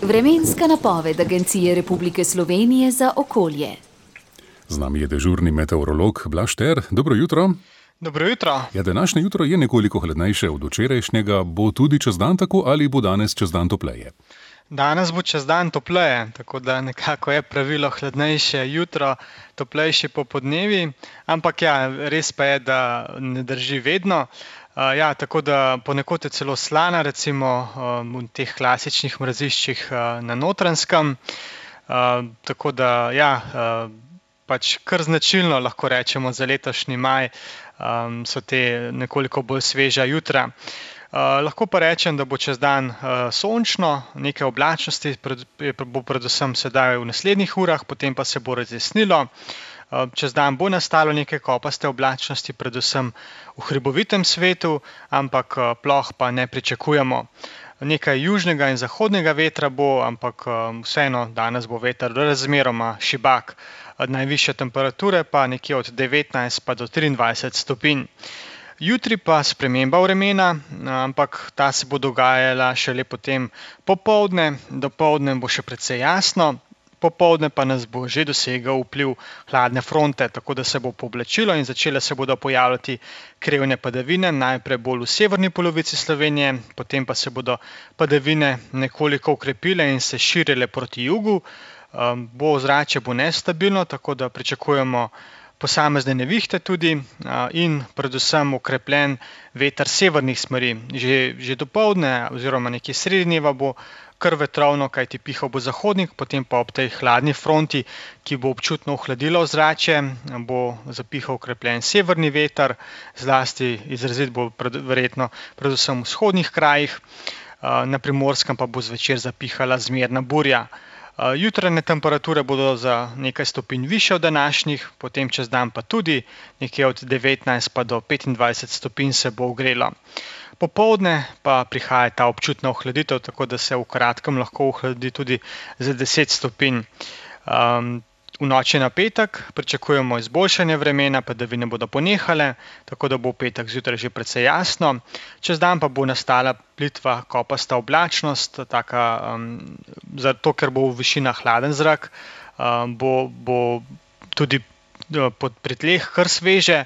Vremenska napoved Agencije Republike Slovenije za okolje. Z nami je dežurni meteorolog Blaž Ter. Dobro jutro. Dobro jutro. Ja, današnje jutro je nekoliko hladnejše od včerajšnjega. Bo tudi čez dan tako ali bo danes čez dan topleje? Danes bo čez dan topleje, tako da nekako je pravilo hladnejše jutro, toplejši popodnevi, ampak ja, res pa je, da ne drži vedno. Tako da ponekod je celo slana, recimo v teh klasičnih mraziščih na Notranjskem. Tako da pač kar značilno lahko rečemo za letošnji maj, so te nekoliko bolj sveža jutra. Lahko pa rečem, da bo čez dan sončno, nekaj oblačnosti bo predvsem sedaj v naslednjih urah, potem pa se bo razjasnilo. Čez dan bo nastalo nekaj kopaste oblačnosti, predvsem v hribovitem svetu, ampak ploh pa ne pričakujemo. Nekaj južnega in zahodnega vetra bo, ampak vseeno danes bo veter razmeroma šibak. Najvišje temperature pa nekje od 19 pa do 23 stopinj. Jutri pa sprememba vremena, ampak ta se bo dogajala šele potem popoldne. Dopoldne bo še precej jasno, popoldne pa nas bo že dosegel vpliv hladne fronte, tako da se bo pooblačilo in začele se bodo pojavljati krevne padavine, najprej bolj v severni polovici Slovenije, potem pa se bodo padavine nekoliko okrepile in se širile proti jugu. Ozračje bo nestabilno, tako da pričakujemo posamezne nevihte tudi in predvsem okrepljen veter severnih smeri. Že dopoldne oziroma nekje sredi dneva bo kar vetrovno, kajti pihal bo zahodnik, potem pa ob tej hladni fronti, ki bo občutno ohladila ozračje, bo zapihal okrepljen severni veter, zlasti izrazit bo verjetno predvsem v vzhodnih krajih, na Primorskem pa bo zvečer zapihala zmerna burja. Jutranje temperature bodo za nekaj stopinj višje od današnjih, potem čez dan pa tudi nekje od 19 pa do 25 stopinj se bo ogrelo. Popoldne pa prihaja ta občutna ohladitev, tako da se v kratkem lahko ohladi tudi za 10 stopinj. V noči na petek pričakujemo izboljšanje vremena, padavine bodo ponehale, tako da bo v petek zjutraj že precej jasno. Čez dan pa bo nastala plitva kopasta oblačnost, zato ker bo v višinah hladen zrak, bo tudi pri tleh kar sveže,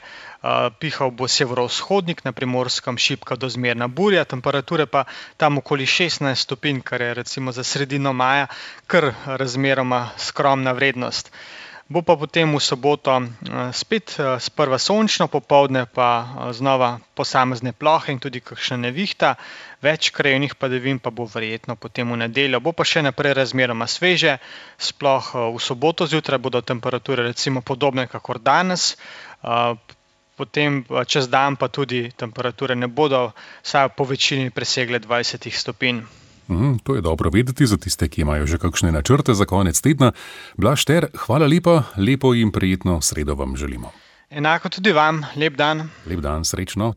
pihal bo severovzhodnik, na Primorskem šibka do zmerna burja, temperature pa tam okoli 16 stopinj, kar je recimo za sredino maja kar razmeroma skromna vrednost. Bo pa potem v soboto spet sprva sončno, popoldne pa znova posamezne plohe in tudi kakšna nevihta, več krajevnih padavin pa bo verjetno potem v nedeljo. Bo pa še naprej razmeroma sveže, sploh v soboto zjutraj bodo temperature recimo podobne kakor danes, potem čez dan pa tudi temperature ne bodo vsaj po večini presegle 20 stopinj. To je dobro vedeti za tiste, ki imajo že kakšne načrte za konec tedna. Blaž Ter, hvala lepa, lepo in prijetno sredo vam želimo. Enako tudi vam, lep dan. Lep dan, srečno.